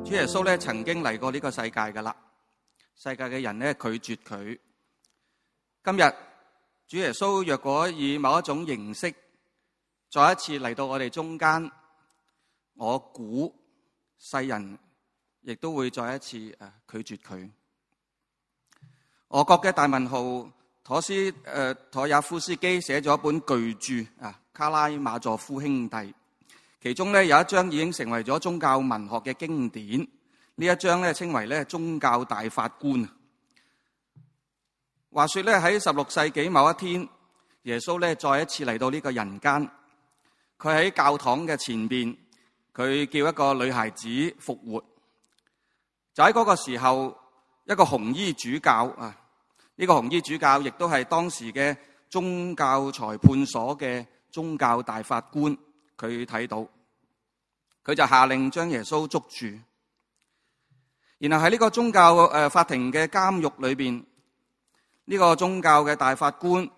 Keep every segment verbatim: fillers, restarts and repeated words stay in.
主耶穌咧曾經嚟過呢個世界噶啦，世界嘅人咧拒絕佢。今日主耶穌若果以某一種形式再一次嚟到我哋中間，我估世人亦都會再一次誒拒絕佢。俄國嘅大文豪妥斯誒妥也夫斯基寫咗一本巨著啊，《卡拉馬佐夫兄弟》，其中咧有一章已經成為咗宗教文學嘅經典。呢一章咧稱為咧宗教大法官。話說咧喺十六世紀某一天，耶穌咧再一次嚟到呢個人間，佢喺教堂嘅前邊，佢叫一個女孩子復活。就喺嗰個時候，一個紅衣主教啊，呢個紅衣主教亦都係當時嘅宗教裁判所嘅宗教大法官，佢睇到，佢就下令將耶穌捉住。然後喺呢個宗教誒法庭嘅監獄裏邊，呢個宗教嘅大法官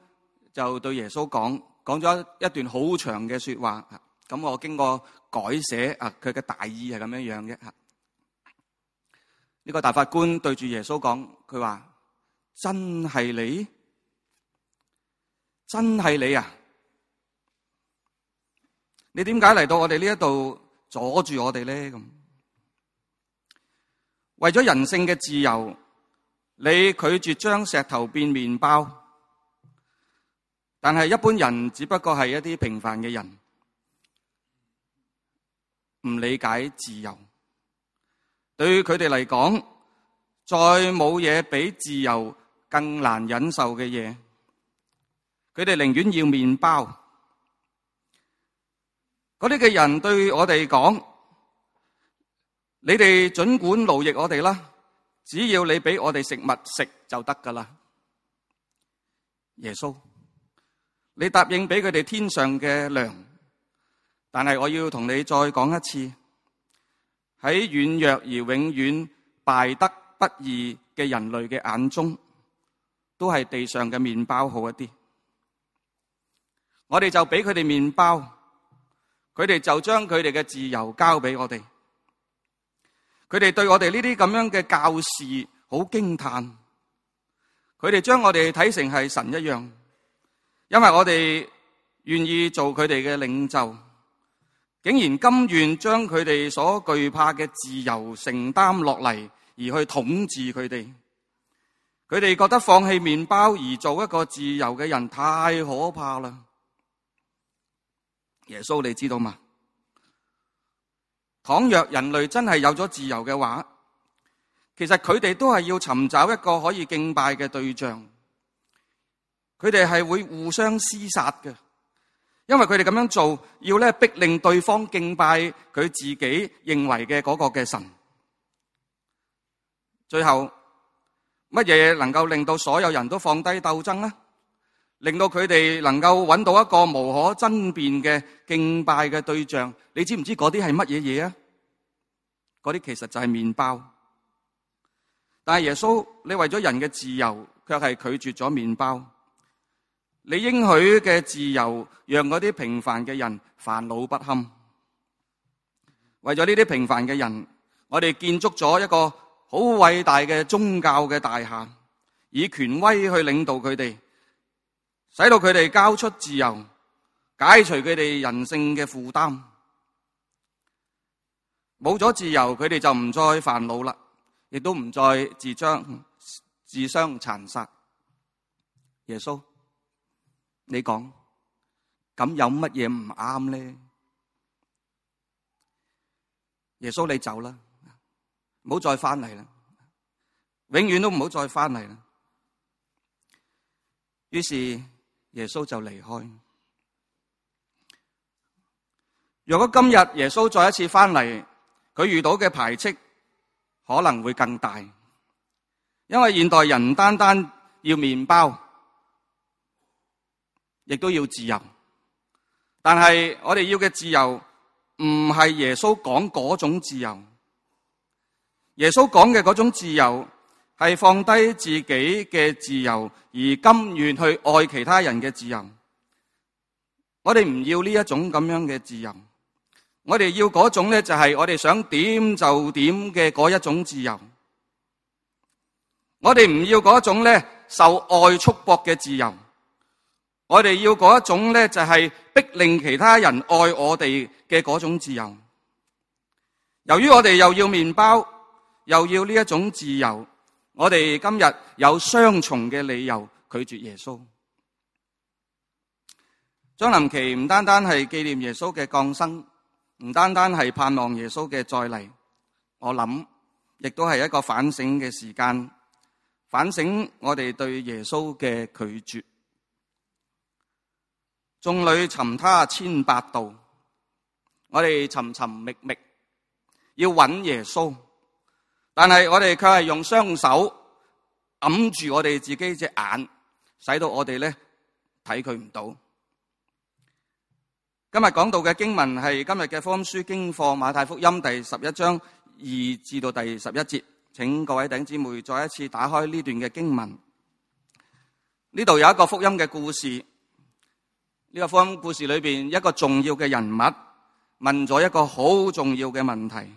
就對耶穌講，講咗一段好長嘅說話。咁我經過改寫啊，佢嘅大意係咁樣樣嘅。呢個大法官對住耶穌講，佢話：真係你，真係你啊！你點解嚟到我哋呢一度阻住我哋咧？咁為咗人性嘅自由，你拒絕將石頭變麵包，但係一般人只不過係一啲平凡嘅人，唔理解自由。對佢哋嚟講，再冇嘢比自由更難忍受嘅嘢。佢哋寧願要麵包。嗰啲嘅人對我哋講：你哋盡管奴役我哋啦，只要你俾我哋食物食就得噶啦。耶穌，你答應俾佢哋天上嘅糧，但係我要同你再講一次。喺軟弱而永遠敗得不義嘅人類嘅眼中，都係地上嘅麵包好一啲。我哋就俾佢哋麵包，佢哋就將佢哋嘅自由交俾我哋。佢哋對我哋呢啲咁樣嘅教士好驚嘆，佢哋將我哋睇成係神一樣，因為我哋願意做佢哋嘅領袖。竟然甘願將佢哋所懼怕嘅自由承擔落嚟，而去統治佢哋。佢哋覺得放棄麵包而做一個自由嘅人太可怕啦。耶穌，你知道嗎？倘若人類真係有咗自由嘅話，其實佢哋都係要尋找一個可以敬拜嘅對象。佢哋係會互相廝殺嘅。因為佢哋咁樣做，要咧逼令對方敬拜佢自己認為嘅嗰個嘅神。最後，乜嘢能夠令到所有人都放低鬥爭呢？令到佢哋能夠揾到一個無可爭辯嘅敬拜嘅對象？你知唔知嗰啲係乜嘢嘢啊？嗰啲其實就係麵包。但係耶穌，你為咗人嘅自由，卻係拒絕咗麵包。你應許嘅自由，讓嗰啲平凡嘅人煩惱不堪。為咗呢啲平凡嘅人，我哋建築咗一個好偉大嘅宗教嘅大廈，以權威去領導佢哋，使到佢哋交出自由，解除佢哋人性嘅負擔。冇咗自由，佢哋就唔再煩惱啦，亦都唔再自將自相殘殺。耶穌，你講，咁有乜嘢唔啱咧？耶穌，你走啦，唔好再翻嚟啦，永遠都唔好再翻嚟啦。於是耶穌就離開。如果今日耶穌再一次翻嚟，佢遇到嘅排斥可能會更大，因為現代人唔單單要麵包，亦都要自由，但係我哋要嘅自由唔係耶穌講嗰種自由。耶穌講嘅嗰種自由係放低自己嘅自由，而甘願去愛其他人嘅自由。我哋唔要呢一種咁樣嘅自由，我哋要嗰種咧就係我哋想點就點嘅嗰一種自由。我哋唔要嗰種咧受愛束縛嘅自由。我哋要嗰一種咧就係逼令其他人愛我哋嘅嗰種自由。由於我哋又要麵包，又要呢一種自由，我哋今日有雙重嘅理由拒絕耶穌。將臨期唔單單係紀念耶穌嘅降生，唔單單係盼望耶穌嘅再嚟，我諗亦都係一個反省嘅時間，反省我哋對耶穌嘅拒絕。眾裏尋他千百度，我哋尋尋覓覓要揾耶穌，但係我哋卻係用雙手揞住我哋自己隻眼，使到我哋咧睇佢唔到。今日講到嘅經文係今日嘅福音書經課馬太福音第十一章二至到第十一節，請各位弟兄姊妹再一次打開呢段嘅經文。呢度有一個福音嘅故事，呢個福音故事裏邊一個重要嘅人物問咗一個好重要嘅問題，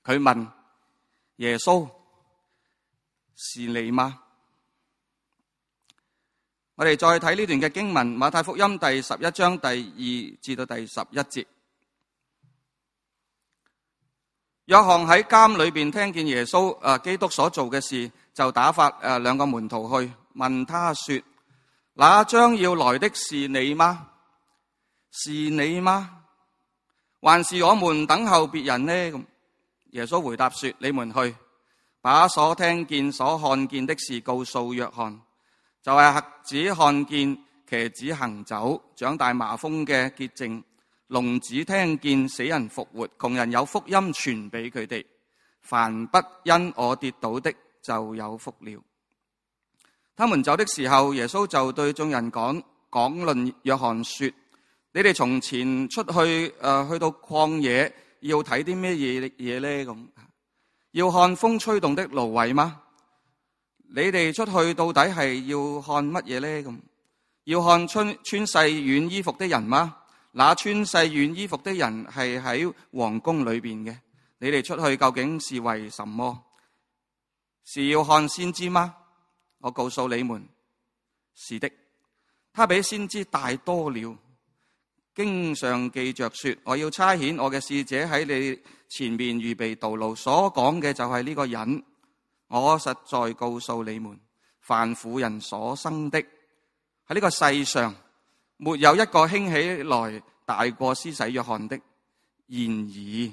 佢問耶穌，是你嗎？我哋再睇呢段嘅經文，馬太福音第十一章第二至到第十一節。約翰喺監裏邊聽見耶穌誒基督所做嘅事，就打發誒兩個門徒去問他說：那將要來的是你嗎？是你嗎？還是我們等候別人呢？咁耶穌回答說：你們去，把所聽見所看見的事告訴約翰。就係瞎子看見，瘸子行走，長大麻風嘅潔淨，聾子聽見，死人復活，窮人有福音傳俾佢哋。凡不因我跌倒的，就有福了。他們走的時候，耶穌就對眾人講講論約翰說：你哋從前出去誒、呃、去到曠野，要睇啲咩嘢嘢咧？咁要看風吹動的蘆葦嗎？你哋出去到底係要看乜嘢咧？咁要看穿穿細軟衣服的人嗎？那穿細軟衣服的人係喺皇宮裏邊嘅。你哋出去究竟是為什麼？是要看先知嗎？我告訴你們，是的，他比先知大多了。經上記着說：我要差遣我嘅使者喺你前面預備道路。所講嘅就係呢個人。我實在告訴你們，凡婦人所生的，喺呢個世上沒有一個興起來大過施洗約翰的。然而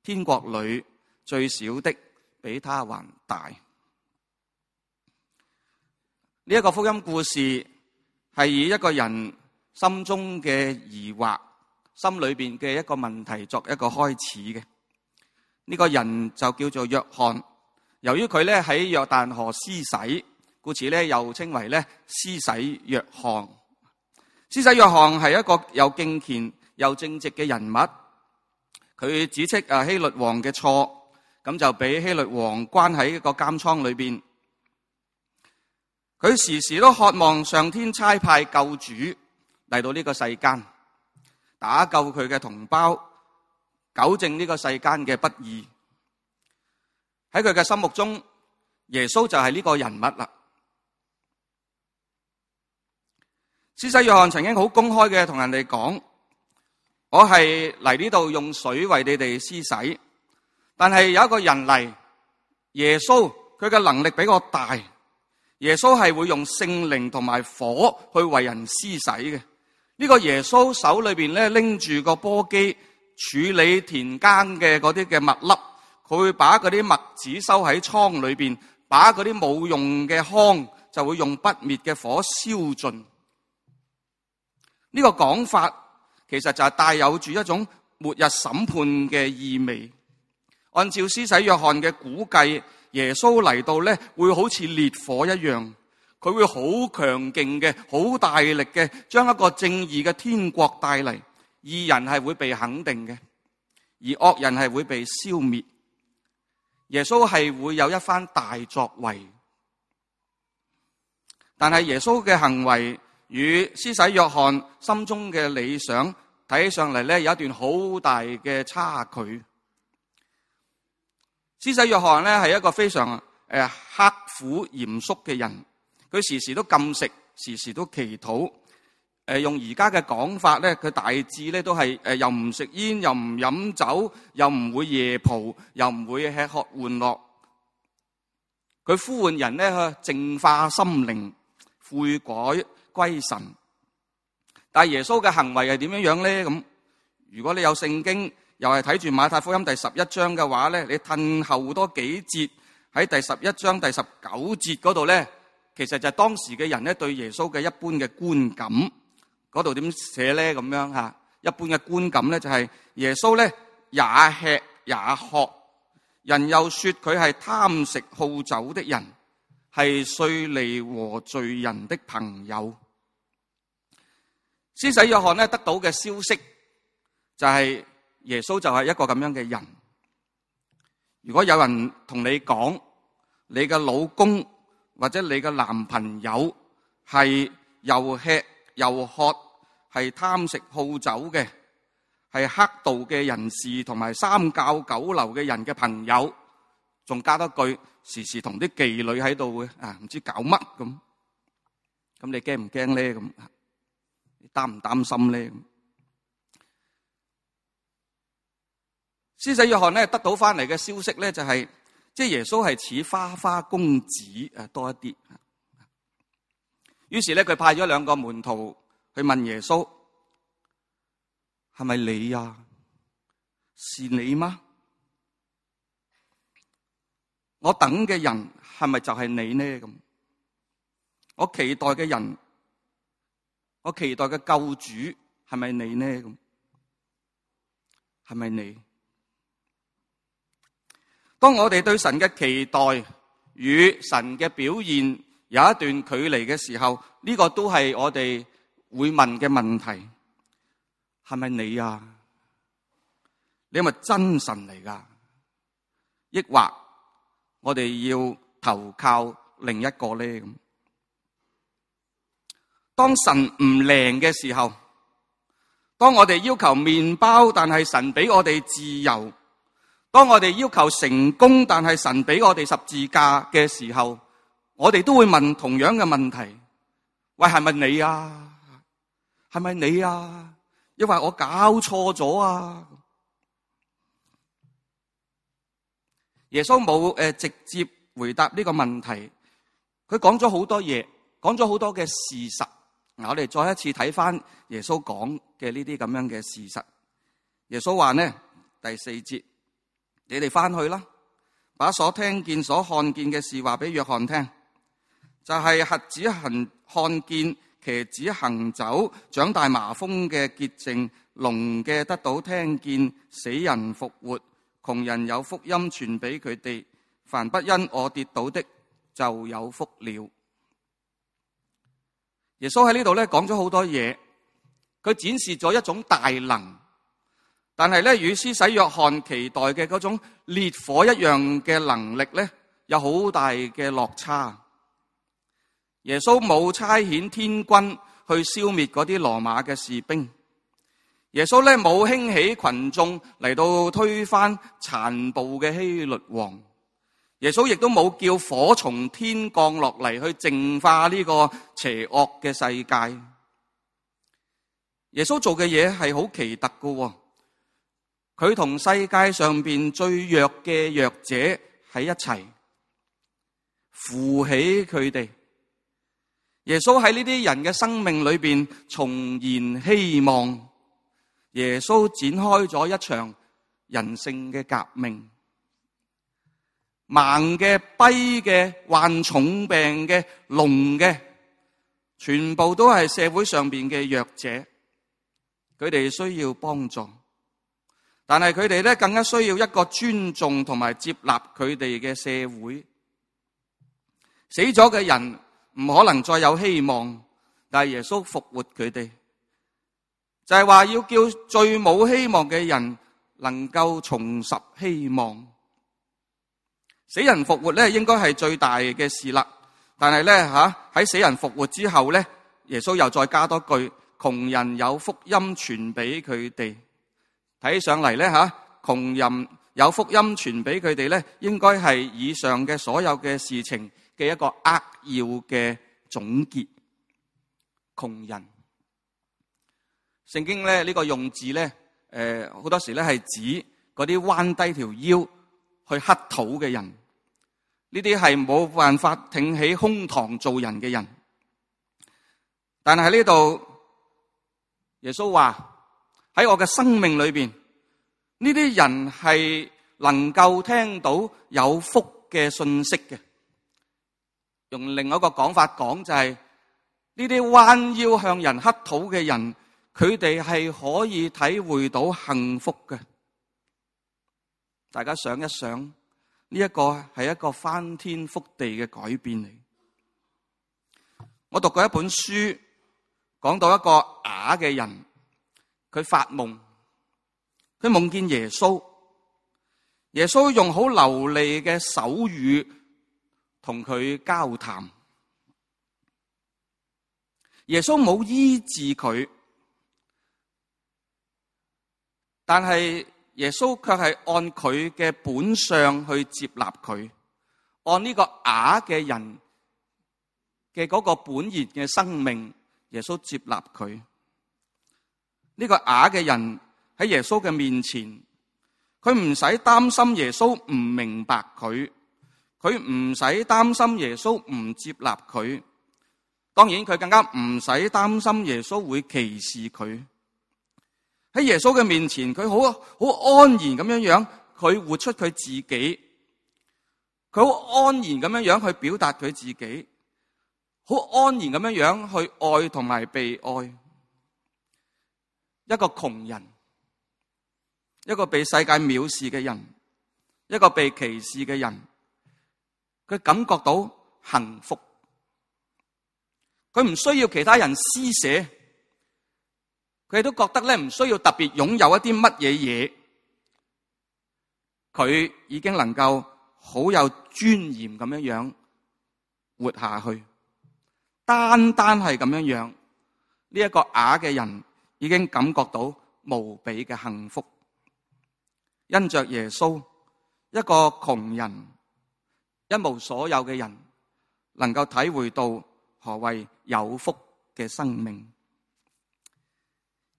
天國裏最小的比他還大。呢一個福音故事係以一個人心中嘅疑惑、心裏邊嘅一個問題作一個開始嘅。呢個人就叫做約翰。由於佢咧喺約旦河施洗，故此咧又稱為咧施洗約翰。施洗約翰係一個又敬虔又正直嘅人物。佢指斥啊希律王嘅錯，咁就俾希律王關喺一個監倉裏邊。佢時時都渴望上天差派救主嚟到呢個世間，打救佢嘅同胞，糾正呢個世間嘅不義。喺佢嘅心目中，耶穌就係呢個人物啦。施洗約翰曾經好公開嘅同人哋講：我係嚟呢度用水為你哋施洗，但係有一個人嚟，耶穌佢嘅能力比我大，耶穌係會用聖靈同埋火去為人施洗嘅。呢個耶穌手裏邊咧拎住個簸箕處理田間嘅嗰啲嘅麥粒。佢會把嗰啲麥子收喺倉裏邊，把嗰啲冇用嘅糠就會用不滅嘅火燒盡。呢個講法其實就係帶有住一種末日審判嘅意味。按照施洗約翰嘅估計，耶穌嚟到咧會好似烈火一樣，佢會好強勁嘅、好大力嘅，將一個正義嘅天國帶嚟。義人係會被肯定嘅，而惡人係會被消滅。耶穌係會有一番大作為，但係耶穌嘅行為與施洗約翰心中嘅理想睇起上嚟咧有一段好大嘅差距。施洗約翰咧係一個非常誒刻苦嚴肅嘅人，佢時時都禁食，時時都祈禱。誒用而家嘅講法咧，佢大致咧都係誒又唔食煙，又唔飲酒，又唔會夜蒲，又唔會吃喝玩樂。佢呼喚人咧去淨化心靈，悔改歸神。但係耶穌嘅行為係點樣樣咧？咁如果你有聖經，又係睇住馬太福音第十一章嘅話咧，你褪後多幾節喺第十一章第十九節嗰度咧，其實就係當時嘅人咧對耶穌嘅一般嘅觀感。嗰度點寫咧？咁樣吓，一般嘅觀感咧就係耶穌咧也吃也喝，人又說佢係貪食好酒的人，係稅吏和罪人的朋友。施洗約翰咧得到嘅消息就係耶穌就係一個咁樣嘅人。如果有人同你講你嘅老公或者你嘅男朋友係又吃又喝，係貪食好酒嘅，係黑道嘅人士同埋三教九流嘅人嘅朋友，仲加多句時時同啲妓女喺度嘅啊，唔知搞乜咁。咁你驚唔驚咧？咁你擔唔擔心咧？施洗約翰咧得到翻嚟嘅消息咧就係、是，即係耶穌係似花花公子誒多一啲。於是咧佢派咗兩個門徒去問耶穌：係咪你啊？是你嗎？我等嘅人係咪就係你呢？咁我期待嘅人，我期待嘅救主係咪你呢？咁係咪你？當我哋對神嘅期待與神嘅表現有一段距離嘅時候，呢個都係我哋會問嘅問題。係咪你啊？你係咪真神嚟㗎？抑或我哋要投靠另一個呢？咁當神唔靈嘅時候，當我哋要求麵包，但係神俾我哋自由；當我哋要求成功，但係神俾我哋十字架嘅時候，我哋都會問同樣嘅問題：喂，係咪你啊？係咪你啊？因為我搞錯咗啊！耶穌冇誒直接回答呢個問題，佢講咗好多嘢，講咗好多嘅事實。嗱，我哋再一次睇翻耶穌講嘅呢啲咁樣嘅事實。耶穌話呢，第四節，你哋翻去啦，把所聽見、所看見嘅事話俾約翰聽，就係、是、瞎子行看見，瘸子行走，長大麻風嘅潔淨，聾嘅得到聽見，死人復活，窮人有福音傳俾佢哋，凡不因我跌倒的就有福了。耶穌喺呢度咧講咗好多嘢，佢展示咗一種大能，但係咧與施洗約翰期待嘅嗰種烈火一樣嘅能力咧，有好大嘅落差。耶穌冇差遣天軍去消滅嗰啲羅馬嘅士兵，耶穌咧冇興起群眾嚟到推翻殘暴嘅希律王，耶穌亦都冇叫火從天降落嚟去淨化呢個邪惡嘅世界。耶穌做嘅嘢係好奇特㗎，佢同世界上邊最弱嘅弱者喺一齊，扶起佢哋。耶穌喺呢啲人嘅生命裏邊重燃希望，耶穌展開咗一場人性嘅革命。盲嘅、跛嘅、患重病嘅、聾嘅，全部都係社會上邊嘅弱者，佢哋需要幫助，但係佢哋咧更加需要一個尊重同埋接納佢哋嘅社會。死咗嘅人唔可能再有希望，但係耶穌復活佢哋，就係話要叫最冇希望嘅人能夠重拾希望。死人復活咧，應該係最大嘅事啦。但係咧吓喺死人復活之後咧，耶穌又再加多句，窮人有福音傳俾佢哋。睇上嚟咧吓，窮人有福音傳俾佢哋咧，應該係以上嘅所有嘅事情嘅一個扼要嘅總結。窮人，聖經咧呢個用字咧，誒好多時咧係指嗰啲彎低條腰去乞討嘅人，呢啲係冇辦法挺起胸膛做人嘅人。但係喺呢度，耶穌話喺我嘅生命裏邊，呢啲人係能夠聽到有福嘅信息嘅。用另外一個講法講就係呢啲彎腰向人乞討嘅人，佢哋係可以體會到幸福嘅。大家想一想，呢一個係一個翻天覆地嘅改變嚟。我讀過一本書，講到一個啞嘅人，佢發夢，佢夢見耶穌，耶穌用好流利嘅手語同佢交談。耶穌冇醫治佢，但係耶穌卻係按佢嘅本相去接納佢，按呢個啞嘅人嘅嗰個本然嘅生命，耶穌接納佢。呢個啞嘅人喺耶穌嘅面前，佢唔使擔心耶穌唔明白佢，佢唔使擔心耶穌唔接納佢。當然佢更加唔使擔心耶穌會歧視佢。喺耶穌嘅面前，佢好好安然咁樣樣，佢活出佢自己，佢好安然咁樣樣去表達佢自己，好安然咁樣樣去愛同埋被愛。一個窮人，一個被世界藐視嘅人，一個被歧視嘅人，佢感覺到幸福。佢唔需要其他人施捨，佢都覺得咧唔需要特別擁有一啲乜嘢嘢，佢已經能夠好有尊嚴咁樣樣活下去。單單係咁樣樣，呢一個啞嘅人已經感覺到無比嘅幸福。因着耶穌，一個窮人，一無所有嘅人，能夠體會到何謂有福嘅生命。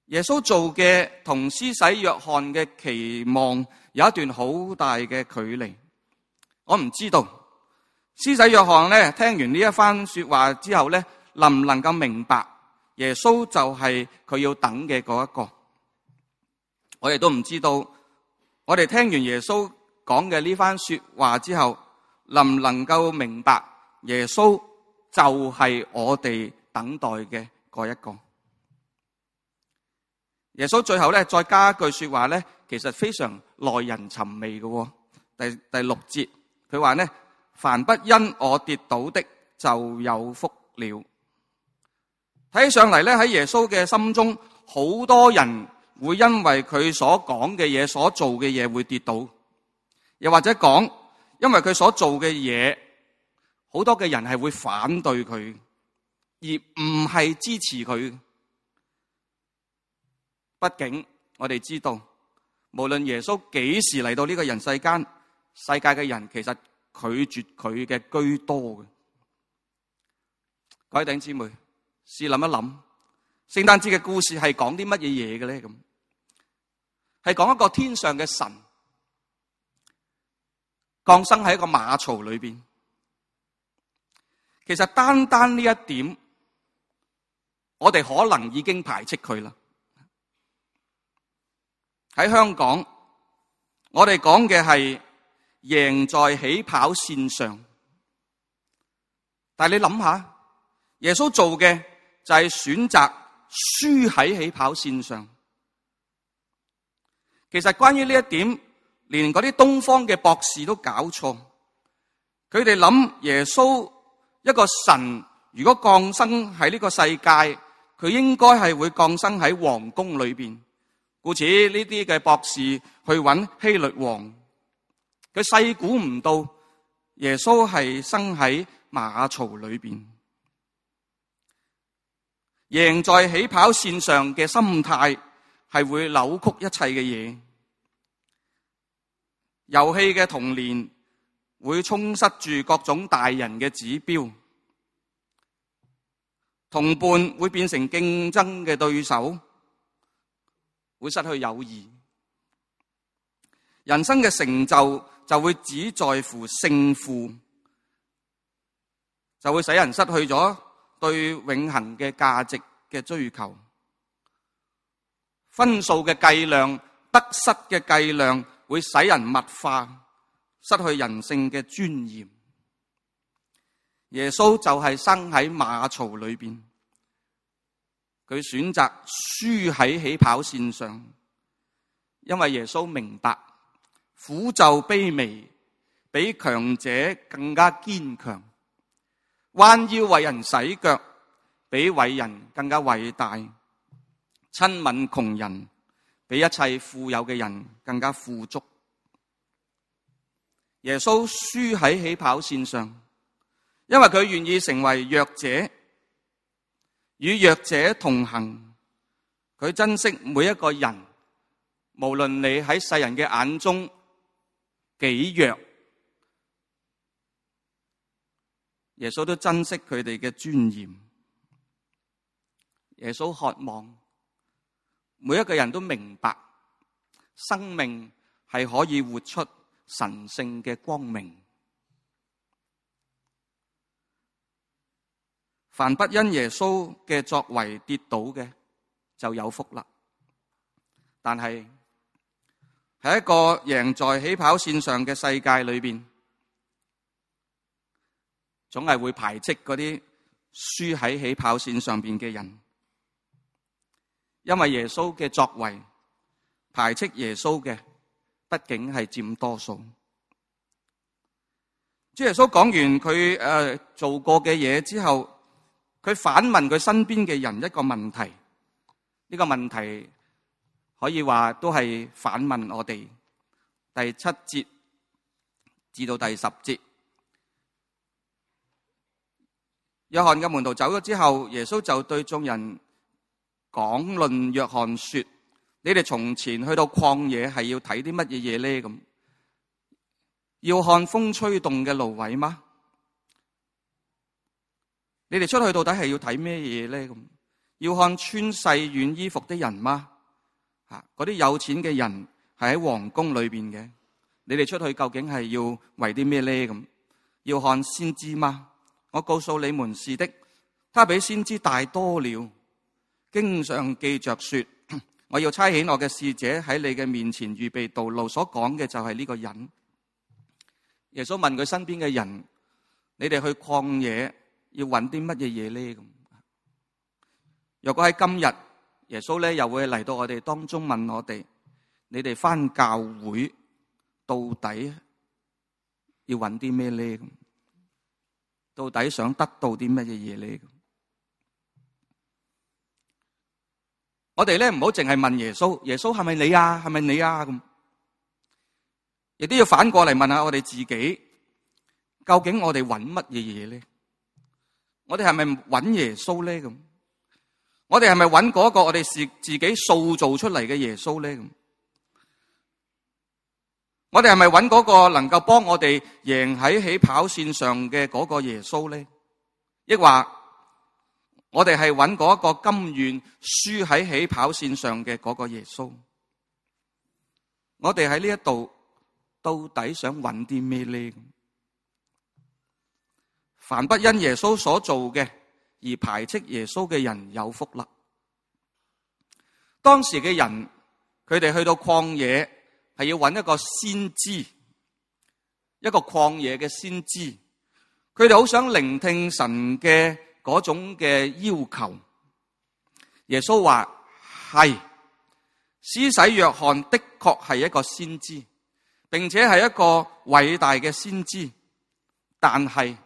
耶穌做嘅同施洗約翰嘅期望有一段好大嘅距離。我唔知道施洗約翰咧聽完呢一番說話之後咧，能唔能夠明白耶穌就係佢要等嘅嗰一個。我哋都唔知道，我哋聽完耶穌講嘅呢番說話之後，能唔能夠明白耶穌就係我哋等待嘅嗰一個。耶穌最後咧再加一句說話咧，其實非常耐人尋味嘅。第第六節佢話咧，凡不因我跌倒的就有福了。睇起上嚟咧，喺耶穌嘅心中，好多人會因為佢所講嘅嘢、所做嘅嘢會跌倒，又或者講，因為佢所做嘅嘢，好多嘅人係會反對佢，而唔係支持佢。畢竟我哋知道，無論耶穌幾時嚟到呢個人世間，世界嘅人其實拒絕佢嘅居多嘅。各位弟兄姊妹，試諗一諗，聖誕節嘅故事係講啲乜嘢嘢嘅咧？咁係講一個天上嘅神降生喺一個馬槽裏邊。其實單單呢一點，我哋可能已經排斥佢啦。喺香港，我哋講嘅係贏在起跑線上，但係你諗下，耶穌做嘅就係選擇輸喺起跑線上。其實關於呢一點，連嗰啲東方嘅博士都搞錯。佢哋諗耶穌一個神如果降生喺呢個世界，佢應該係會降生喺皇宮裏邊。故此呢啲嘅博士去揾希律王，佢細估唔到耶穌係生喺馬槽裏邊。贏在起跑線上嘅心態係會扭曲一切嘅嘢。遊戲嘅童年會充塞住各種大人嘅指標，同伴會變成競爭嘅對手，會失去友誼。人生嘅成就就會只在乎勝負，就會使人失去咗對永恆嘅價值嘅追求。分數嘅計量、得失嘅計量會使人物化，失去人性嘅尊嚴。耶穌就係生喺馬槽裏邊，佢選擇輸喺起跑線上，因為耶穌明白苦就卑微，比強者更加堅強；彎腰為人洗腳，比偉人更加偉大；親吻窮人，比一切富有嘅人更加富足。耶穌輸喺起跑線上，因為佢願意成為弱者，與弱者同行。佢珍惜每一個人，無論你喺世人嘅眼中幾弱，耶穌都珍惜佢哋嘅尊嚴。耶穌渴望每一個人都明白，生命係可以活出神聖嘅光明。凡不因耶穌嘅作為跌倒嘅，就有福啦。但係喺一個贏在起跑線上嘅世界裏邊，總係會排斥嗰啲輸喺起跑線上邊嘅人，因為耶穌嘅作為，排斥耶穌嘅畢竟係佔多數。主耶穌講完佢誒做過嘅嘢之後，佢反問佢身邊嘅人一個問題，呢個問題可以話都係反問我哋。第七節至到第十節，約翰嘅門徒走咗之後，耶穌就對眾人講論約翰說：你哋從前去到曠野係要睇啲乜嘢嘢咧？咁要看風吹動嘅蘆葦嗎？你哋出去到底係要睇咩嘢咧？咁要看穿細軟衣服的人嗎？吓，嗰啲有錢嘅人係喺皇宮裏邊嘅，你哋出去究竟係要為啲咩咧？咁要看先知嗎？我告訴你們是的，他比先知大多了。經上記着說：我要差遣我嘅使者喺你嘅面前預備道路。所講嘅就係呢個人。耶穌問佢身邊嘅人：你哋去曠野要揾啲乜嘢嘢咧？咁若果喺今日，耶穌咧又會嚟到我哋當中問我哋：你哋返教會到底要揾啲咩咧？咁到底想得到啲乜嘢嘢咧？我哋咧唔好淨係問耶穌，耶穌係咪你啊？係咪你啊？咁亦都要反過嚟問下我哋自己，究竟我哋揾乜嘢嘢咧？我哋係咪揾耶穌咧？咁我哋係咪揾嗰個我哋是自己塑造出嚟嘅耶穌咧？咁我哋係咪揾嗰個能夠幫我哋贏喺起跑線上嘅嗰個耶穌咧？抑或我哋係揾嗰個甘願輸喺起跑線上嘅嗰個耶穌？我哋喺呢一度到底想揾啲咩咧？凡不因耶穌所做嘅而排斥耶穌嘅人有福啦！當時嘅人，佢哋去到曠野係要揾一個先知，一個曠野嘅先知，佢哋好想聆聽神嘅嗰種嘅要求。耶穌話：係，施洗約翰的確係一個先知，並且係一個偉大嘅先知，但係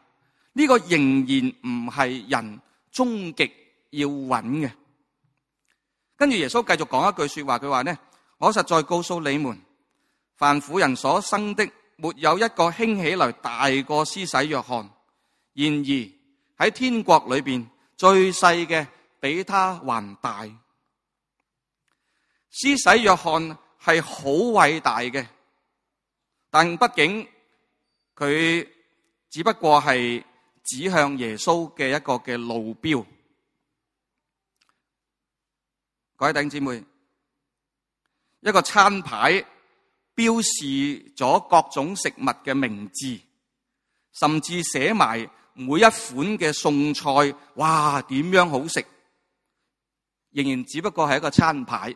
呢個仍然唔係人終極要揾嘅。跟住耶穌繼續講一句說話，佢話呢：我實在告訴你們，凡婦人所生的，沒有一個興起來大過施洗約翰。然而喺天國裏邊，最細嘅比他還大。施洗約翰係好偉大嘅，但畢竟佢只不過係指向耶穌嘅一個嘅路標。各位弟兄姊妹，一個餐牌標示咗各種食物嘅名字，甚至寫埋每一款嘅餸菜，哇，點樣好食，仍然只不過係一個餐牌，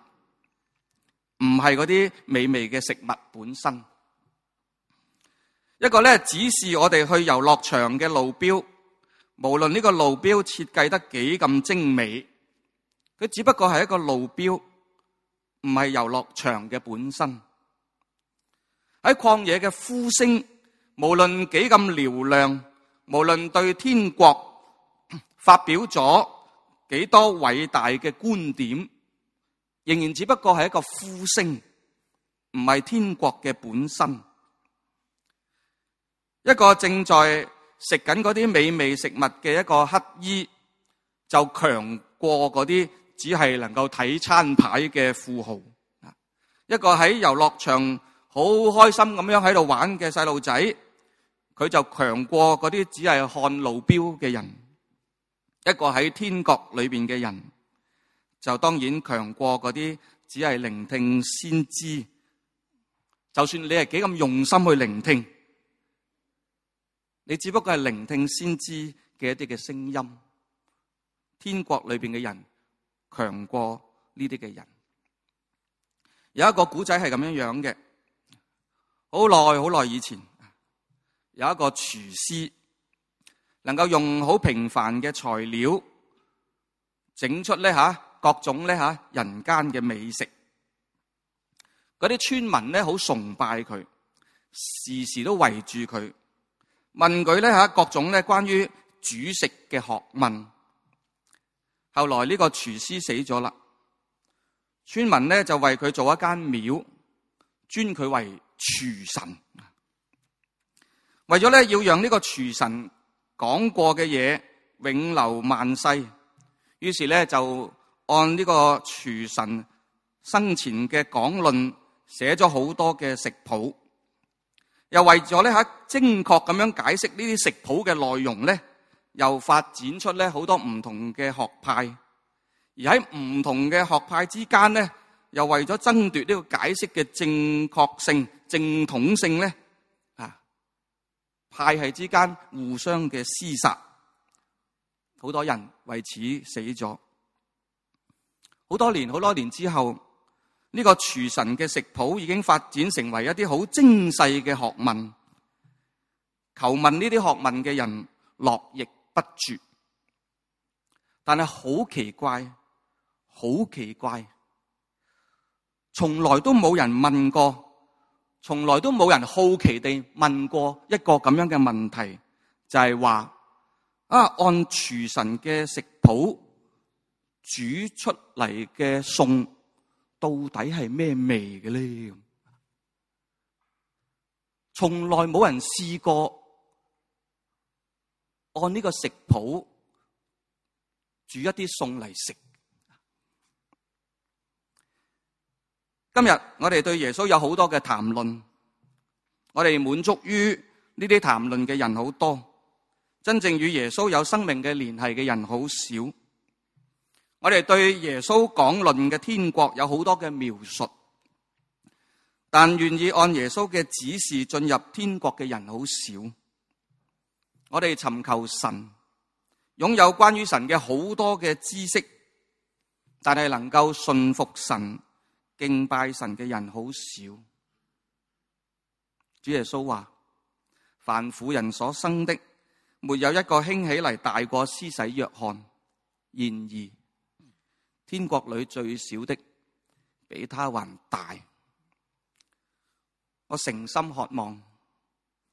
唔係嗰啲美味嘅食物本身。一個咧指示我哋去遊樂場嘅路標，無論呢個路標設計得幾咁精美，佢只不過係一個路標，唔係遊樂場嘅本身。喺曠野嘅呼聲，無論幾咁嘹亮，無論對天國發表咗幾多偉大嘅觀點，仍然只不過係一個呼聲，唔係天國嘅本身。一個正在食緊嗰啲美味食物嘅一個乞衣，就強過嗰啲只係能夠睇餐牌嘅富豪。一個喺遊樂場好開心咁樣喺度玩嘅細路仔，佢就強過嗰啲只係看路標嘅人。一個喺天國裏邊嘅人，就當然強過嗰啲只係聆聽先知。就算你係幾咁用心去聆聽，你只不過係聆聽先知嘅一啲嘅聲音。天國裏邊嘅人強過呢啲嘅人。有一個古仔係咁樣樣嘅，好耐好耐以前，有一個廚師能夠用好平凡嘅材料整出咧吓各種咧吓人間嘅美食。嗰啲村民咧好崇拜佢，時時都圍住佢，問佢咧吓各種咧關於煮食嘅學問。後來呢個廚師死咗啦，村民咧就為佢做一間廟，尊佢為廚神。為咗咧要讓呢個廚神講過嘅嘢永留萬世，於是咧就按呢個廚神生前嘅講論寫咗好多嘅食譜，又為咗咧吓精確咁樣解釋呢啲食譜嘅內容咧，又發展出咧好多唔同嘅學派，而喺唔同嘅學派之間咧，又為咗爭奪呢個解釋嘅正確性、正統性咧，啊，派系之間互相嘅廝殺，好多人為此死咗。好多年、好多年之後，呢個廚神嘅食譜已經發展成為一啲好精細嘅學問，求問呢啲學問嘅人絡繹不絕。但係好奇怪，好奇怪，從來都冇人問過，從來都冇人好奇地問過一個咁樣嘅問題，就係話啊，按廚神嘅食譜煮出嚟嘅餸到底係咩味嘅咧？從來冇人試過按呢個食譜煮一啲餸嚟食。今日我哋對耶穌有好多嘅談論，我哋滿足於呢啲談論嘅人好多，真正與耶穌有生命嘅聯繫嘅人好少。我哋對耶穌講論嘅天國有好多嘅描述，但願意按耶穌嘅指示進入天國嘅人好少。我哋尋求神，擁有關於神嘅好多嘅知識，但係能夠信服神、敬拜神嘅人好少。主耶穌話：凡婦人所生的，沒有一個興起嚟大過施洗約翰。然而天國裏最小的，比他還大。我誠心渴望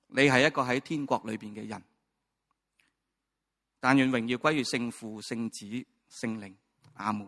你係一個喺天國裏邊嘅人。但願榮耀歸於聖父、聖子、聖靈。阿門。